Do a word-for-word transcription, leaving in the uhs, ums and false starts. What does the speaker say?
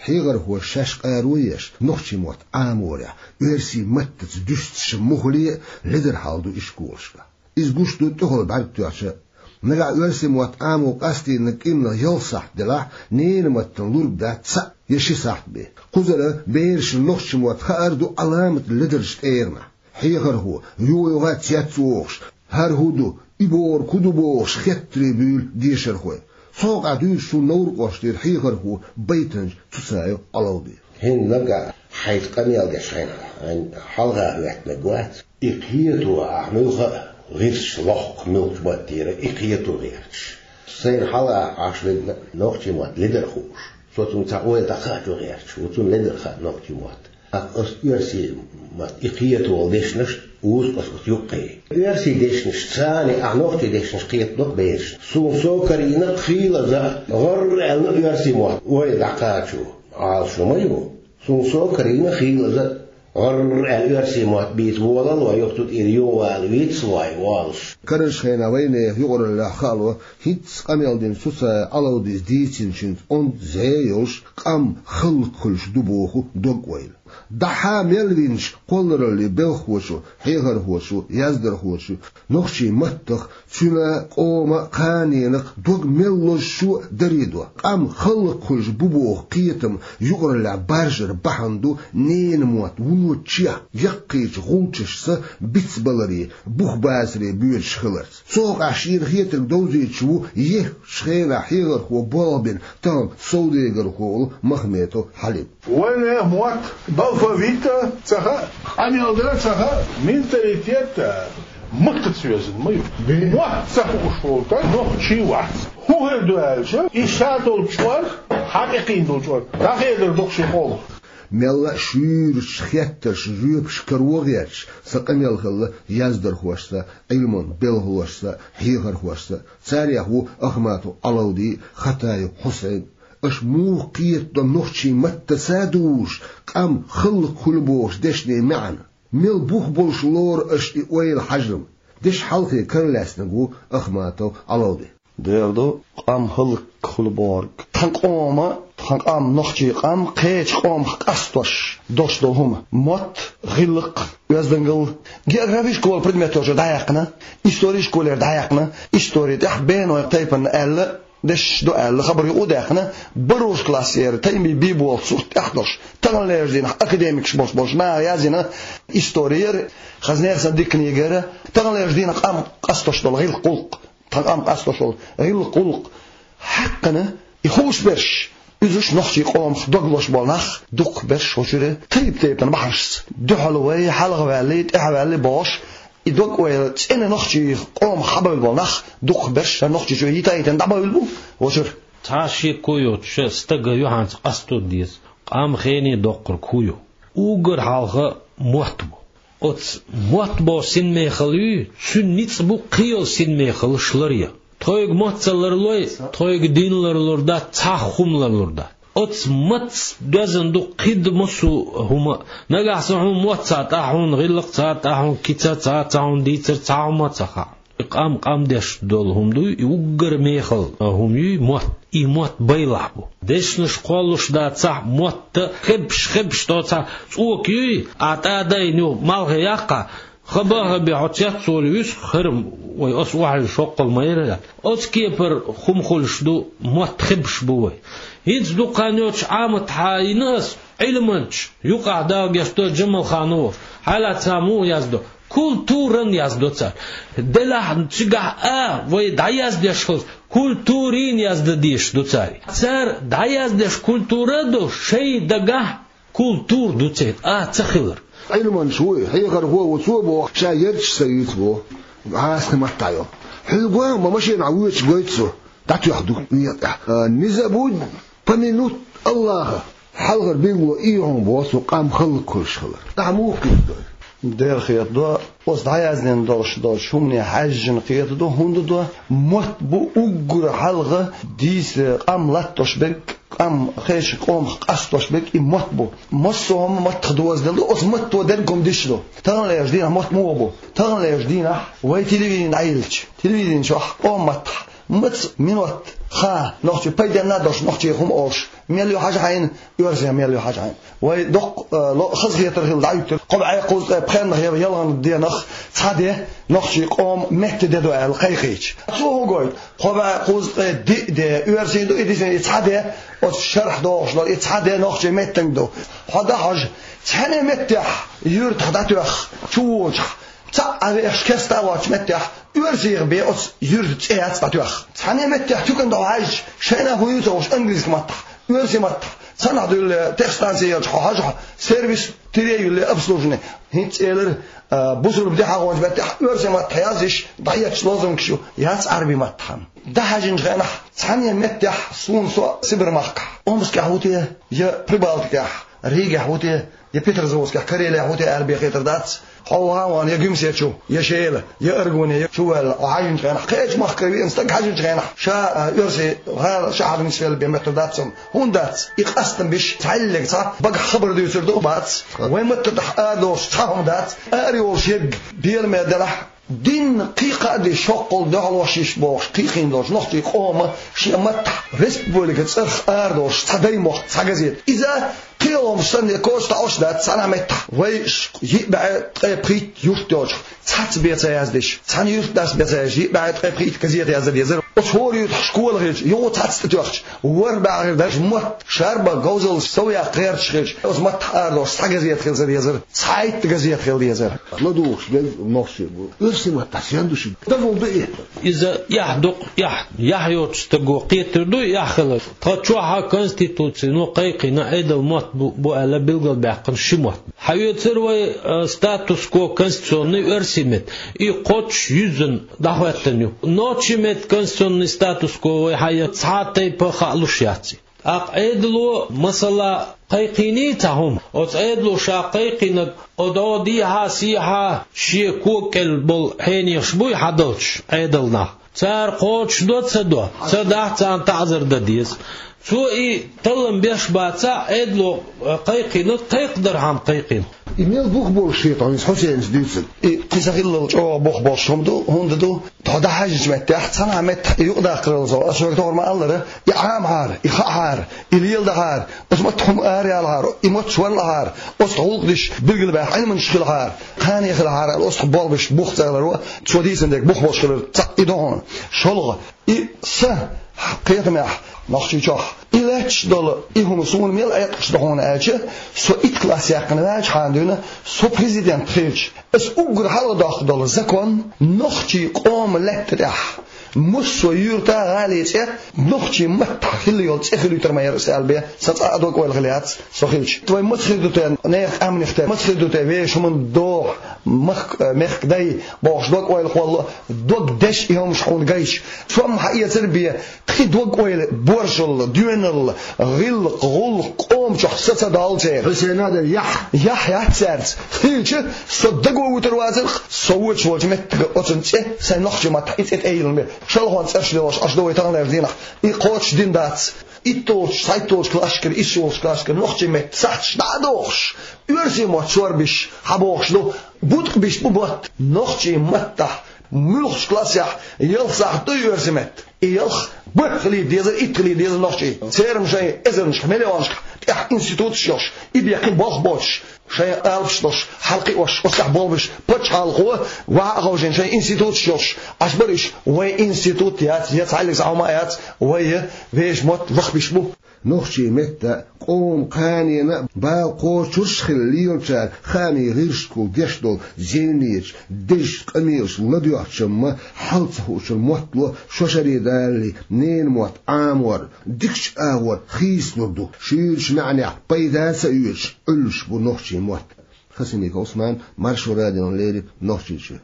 Хьехархоша шаьш къаро еш, нохчийн мотт Ӏаморехь, оьрсийн маттаца дуьстича муххале а ледара хьал ду ишколашкахь. Иза гуш ду тӀехула бӀаьрг тоьхча а. Нагахь оьрсийн мотт Ӏамо къастийнарг кӀирнах ялх сахьт делахь, ненан маттана лург дац цхьаъ я ши сахьт бен. Кхузара берашна нохчийн мотт хаар ду Ӏаламат ледарчу тӀегӀанахь. Хьехархо, юха-юха а цец вогӀуш, хӀара хӀун ду, и бохург хӀун ду бохуш, хеттаре буьйлу дешархой. Цу хьокъехь дуьйцу шун Новр-кӀоштера хьехархо Байтанча Цуцаев Ӏалавди. ХӀинца нагахь хьайца къамел деш хьайна, хьайна хьалха хӀоьттинарг вац. И кхето ахь муьлха а, гӀирсаш лохку муьлхачу маттера, и кхето гӀерташ. Сайна хьалха Ӏаш вигна нохчийн мотт ледара хууш. Со цунна цхьа ойла дӀакхачо гӀерташ ву, цунна ледара хаьа нохчийн мотт. ТӀаккха ас оьрсийн мотт и кхето волу дешнаш узу ас оцу юккъе. Оьрсийн дешнаш царна, ахь нохчийн дешнаш кхетадо-кх берашна. Суна со карийна кхин лаза гӀарр аьлла оьрсийн мотт ойла дӀакхачо. Ӏалашо ма ю. Суна со карийна кхин лаза гӀарр аьлла оьрсийн мотт бийца волалой, юха цу тӀера юхавала вицлой, волуш. Карарчу хенахь вайнехан юкъараллехь хаало, хӀинцца къамел дина Цуцаев Ӏалавдис дийцинчуьнца онда зӀе йолуш, къам хӀаллакьхуьлуш ду боху дог-ойла. ДӀахьа мел винчу кхоллараллин белхахочо, хьехархочо, яздархочо нохчийн маттах, цуьнан, къоман, кханенах дог мел лозучо а даре до. Къам хӀаллакьхуьлуш бу боху кхетам юкъараллехь баржара бахьана ду ненан мотт вуно чех яккхийчу гӀулчашца бицбаларе, бух бацаре боьдуш хиларца. Цу хьокъехь шена хетарг довзуьйтуш ву еххачу хенахь хьехархо болх бина тахана совдегархо волу Махметов Хьалим. Вайнехан мотт алфавит а ца хаьа, къамел дар а ца хаьа, менталитет а маттаца везна ма ю. Мотт ца хууш волу стаг нохчи вац. ХӀун хир ду аьлча, и ша долчу чкъор, хьан тӀекхийна долчу чкъор дӀахедар ду-кх шен къомах. Мелла а шуьйрачу хеттаршна жоьпаш каро гӀерташ сан къамел хилла яздархошца, Ӏилманан белхалошца, хьехархошца. Царех ву Ахматов Ӏалавди, Хатаев Хьусайн. Аша муха кхетадо нохчийн маттаца а дузуш, къам хӀаллакьхуьлу бохучу дешнийн маьӀна? Мел бух болуш лору аша и ойла, хьажам? Дешан хьалхе каралаьцнарг ву Ахматов Ӏалавди. Дера ду, къам хӀаллакьхуьлу бохург. Тхан къоман, тхан къам, нохчийн къам, кхечу къомах къастош долуш долу хӀума. Мотт, гӀиллакх, оьздангалла. Географи школан предметера дӀаяьккхина, истори школера дӀаяьккхина, истори тӀехь бенойн тайпана аьлла, дешаш ду аьлла, хабар юкъа а даьккхина, бархӀ классера Таймин Биболан сурт тӀехь долуш, таханлерчу дийнахь академикаш болуш болчу наха язйина истори яра, хаза нехан санна дика книга яра, таханлерчу дийнахь къам къастош долу гӀиллакх, гӀуллакх, тхан къам къастош долу гӀиллакх, гӀуллакх хьаькхна, и хууш берш, уьзуш нохчийн къомах дог лозуш болу нах, дукхахберш хӀокху чуьра тайп-тайпана бахьанашца, дуьхьал вай, хьалха ваьллий, тӀаьхьа ваьллий бохуш, и дог-ойла цӀена нохчийн къомах хьабевлла болу нах, дукхахберш шайн Нохчийчоь йита а йитина дӀабевлла бу хӀокху чуьра. Цхьа а шеко йоцуш стага юьхьанца къасто деза, къам хене доккхург хӀун ю? Уггар хьалха мотт бу. Оцу мотт боху синмехалла юй, цуьнан ницкъ бу кхин йолу синмехаллаш ларъян. Тхоьга мотт ца ларлой, тхоьга дин ларлур дац, цхьа а хӀума ларлур дац. Оцу маттаца доьзна ду кхидӀа массо а хӀума. Нагахь санна хьуна мотт ца хаьа, хьуна гӀиллакх ца хаьа, хьуна кица ца хаьа, хьуна дийцар ца хаьа, хьуна ца хаьа. И къам къам деш долу хӀума дуй, и уггар мехала хӀума юй мотт. И мотт байлахь бу. Дешнаш кхоллуш дацахь, мотт а хебаш, хебаш доцахь, цӀока юй, а тӀадайна юха малхе яккхахь, хаба а хабе хьо цец волу вуьсу, хӀара вай аса охьайилла шоккхал ма яра. Оцу кепара хӀума хуьлуш ду, мотт хебаш бу вай. ХӀинца дукха хан йоцуш Ӏамат хьайна ас, Ӏилманча, юкъахь Дала гечдойла Джамалханов, хьалаца муха яздо? Культуран яздо цара. Делахь цигахь а вай дӀаяздеш хилча, культурин яздан дезаш ду цара. Цара дӀаяздеш культура а ду, шайн дагахь культура ду церан а ца хилар. Ӏилманча ву и, хьехархо а ву, цо боху, ша ярташ ца юьйцу боху, хьасхи маттахь йолу. Хьуьлган ма машенахь воьдуш гойту цо, дӀатоьхна ду некъа тӀехь. А, не забудь помянуть Аллаха. Хьалхара билгало и ю хьуна боху цо къам хӀаллакьхуьлуш хилар. Ахьа муха кхетадо? Дера кхетадо, оцу дӀаяздина долуш долчу хӀумане хьаьжжина кхетадо, хӀунда до, мотт бу уггар хьалха дийца къам латтош берг, къам кхечу къомах къастош берг и мотт бу. Массо а хӀума маттах дозаделла ду, оцу матто дерг хӀума диш ду. Таханлерчу дийнахь мотт муха бу? Таханлерчу дийнахь вай телевидени дӀайиллича, телевидени чохь къоман маттахь Маца минот ха нохчий пайденна долуш, нохчий хӀума олуш мел ю хьажа хьайна, оьрсий мел ю хьажа хьайна. Вай доккха, э, ло-, хазахетар хилла дӀаюьттира. Кхо бӀе кхузткъе пхеннах я ялханчу денах цхьа де нохчий къоман метта де ду аьлла кхайкхийча. Цо хӀун гойту? Кхо бӀе кхузткъе диъ де оьрсийн ду, и дисина и цхьа де, оцу шарахь дохуш долу и цхьа де нохчий меттанга ду. Хьо дан хьожа, цхьана меттехь юьртахь дӀатоьхна, чу воьдучохь, цхьаъ а вехаш кеста а воцучу меттехь, оьрсийх бен оцу юьртан цӀе яц дӀатоьхна. Цхьана меттехь туькана тӀе хьаьжча, шайна хӀун ю ца хууш английски маттахь, оьрсийн маттахь, цхьанхьа дуьллу техстанция елча хьо хьажахь, сервис тире юьллу обслуживание. ХӀинца элира, а, бусурба де хьахончу меттехь оьрсийн маттахь язйиш, дӀаетташ лозунгаш ю, яц Ӏарбийн маттахь. ДӀахьаьжначу хенахь, цхьана меттехь суна со Сибар-махкахь, Омскехь ву те, я Прибалтикехь, Ригехь ву те, я Петрозаводскехь, Карелехь ву те аьлла бен хетар дац. Хьо вахана я Гуьмсе чу, я Шела, я Аргуне, я чу ваьлла, хьо хьаьжначу хенахь, кхечу махкара веана стаг хьаьжначу хенахь, ша, а, оьрсийн гӀала шахьар нисвелла бен моьттур дац цунна. ХӀунда дац? И къастам биш, цхьаьллиг цхьа багахь хабар дуьйцур ду, бац. Вайн маттахь арадолуш цхьа хӀума дац, ара йолуш ерг беламе делахь, дин кхин кхаа де шоккхул дуьхьалош йиш бохуш, кхийхина долчу нохчийн къоман шен маттахь республика цӀарах арадолуш цхьа дай мохк, цхьа газета. Иза кхин хӀумаш санна коча таӀош дац цхьана меттахь. Вай ш-, йиъ бӀе ткъе пхийтта юрт йолчохь, цхьацца бен ца яздеш, цхьана юьртдас бен ца яздеш, йиъ бӀе ткъе пхийтта газета яздан дезара. Оцу хӀора юьртахь школа хилча, юха цхьацца тӀетоьхча, ворхӀ бӀе хир даш мотт, шарба, говзалла сов яккха гӀерташ хилча, оцу маттахь арадолуш цхьа газета хила ца дезара, цхьайтта газета хила дезара. ЛадугӀуш дерг нохчий бу. Оьрсийн маттахь сен ду шуьга? Дагахь ду и? Иза эхь ду-кх, эхь, эхь йоцу стаго кхетар ду и эхь хилар. Тхан чохь а Конституци, ну, кхайкхина Ӏедал мотт бу, бу аьлла билгалбаьккхина ши мотт. Хьаоьцура вай, а, статус-кво конституционный оьрсийн меттан. И кхоччуш юьззина дӀахӀоьттина ю. Нохчийн меттан конституционный статус-кво вай хьаэцна цхьа а тайпа хаалуш яц. ТӀаккха Ӏедало, масала, кхайкхийний цхьа хӀума? Оцу Ӏедало ша кхайкхийнарг, о, дӀо дехьа, сехьа, шен кога кӀел болу хьенехаш буй хьадалчаш Ӏедалнах? Цара кхочушдо, ца до? Ца дахь, царна таӀзар дан деза. Цо и таллам беш бацахь, Ӏедало, э, кхайкхийнарг кхайкхадархьама кхайкхийна. И мел бух болуш хета хьуна иза Хьусейнца дуьйцург? И кхин ца хиллал чӀогӀа бух болуш хӀума ду, хӀунда ду? Тхо дӀахьаьжначу меттехь, цхьана меттахь и юкъадаккхарал со, ас шуьга тохара ма-аллара, и Ӏамахьара, и хаахьара, и леладахьара, оцу маттахь хӀума араяьллахьара, и мотт шорлахьара, оцу гӀуллакх деш билгалбаьхна Ӏилманчаш хилахьара, кхане хилахьара аьлла, оцу болх беш бух ца хиларо, цо дийцина дерг бух болуш хилар цхьаъ и ду хьуна. ШолгӀа, и сан кхетамехь Нохчийчохь и лаьтташ долу и хӀума суна мел Ӏеткъаш ду хьуна аьлча, со итт класс яьккхина ваьлчахьана дуьйна, со президент хилча, ас уггар хьалха доккхуш долу закон нохчийн къоман лаьтта тӀехь массо а юьрта, гӀали цӀе нохчийн маттахь хилла йолу цӀе хилийтар ма яра аса аьлла бен, сан цкъа а дог-ойла хилла яц со хилча. Вай маца хир ду те, нехан къаьмнех тера, маца хир ду те вешан хӀуманна догӀу, махк-, мехкан дай бохуш дог-ойла хилла, дог деш и хӀумаш хьуна гайча, со-м хьаэцар бен, кхин дог-ойла боршалла, доьналла, гӀиллакх, гӀуллакх къоман чохь са ца доллу церан. Хьусейна дара яхь. Яхь яц цаьрца. Хилча, со даго вуьтур вацара-кх, со воьдуш волчу меттиге оцунна цӀе, сайн нохчийн маттахь и цӀе тӀейиллина бен. Шалхонца цӀераш лелош, аш ду вай таханлерчу дийнахь. И кхочушдина дац. ИтталгӀачу, цхьайтталгӀачу классашкара, иссалгӀачу классашкара нохчийн метта сахьташ дӀа а дохуш, оьрсийн мотт шорбеш хьабохуш ду. Буткъа беш бу мотт. Нохчийн маттахь муьлххачу классехь ялх сахьт ду оьрсийн метта. И ялх бархӀ хилийта дезара, итт хилийта дезара нохчийн. Церан шайн эзарнашкахь, миллионашкахь тӀехь институташ йолуш, и бен кхин болх боцуш, шайн алапаш долуш, хьалакхиош, оццахь болх беш, пачхьалкхо ваха а ховшийна шайн институташ йолуш, аш бара уьш, вайн институт яц, я цхьаьллиг схьа хӀума а яц, вай вешан мотт лахбеш бу. Нохчийн метта, къоман кханенан а бала кхочурш а хилла лелачара хаамийн гӀирсашкахула деш долу зевнечу, дезачу къамелаша ладоьгӀучу-м хьал ца хуучун моттало шо шаре далале ненан мотт Ӏамор, дикачу агӀор хийцалур ду, шуьйрачу маьӀнехь пайда а ца оьцуш, Ӏуьллуш бу нохчийн мотт. Хасимиков Ӏусман, Маршо радиона леррина, Нохчийчоь.